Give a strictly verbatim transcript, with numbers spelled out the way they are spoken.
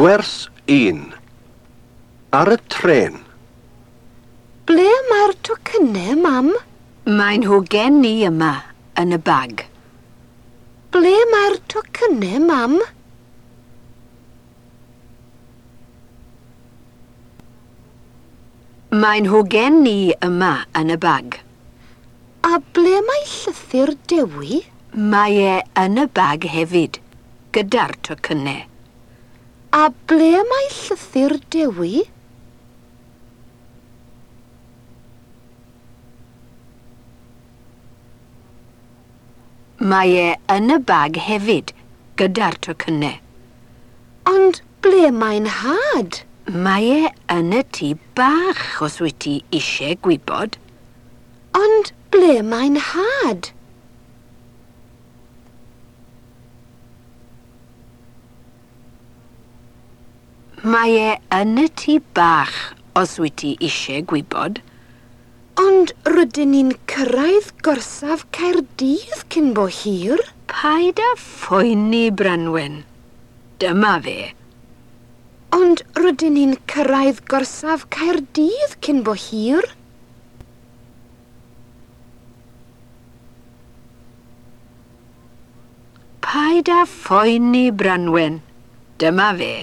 Gwers un. Ar y trên. Ble mae'r tocynnau, mam? Mae nhw gen i yma, yn y bag. Ble mae'r tocynnau, mam? Mae nhw gen i yma, yn y bag. A ble mae llythyr Dewi? Mae e yn y bag hefyd, gyda'r tocynnau. A ble mae llythyr Dewi? Mae e yn y bag hefyd, gyda'r tocynnau. Ond ble mae'n nhad? Mae e yn y tŷ bach, os wyt ti eisiau gwybod. Ond ble mae'n nhad? Mae e yn y tŷ bach, os wyt ti eisiau gwybod. Ond rydyn ni'n cyrraedd gorsaf Caerdydd cyn bo hir. Paid â phoeni, Branwen. Dyma fe. Ond rydyn ni'n cyrraedd gorsaf Caerdydd cyn bo hir. Paid â phoeni, Branwen. Dyma fe.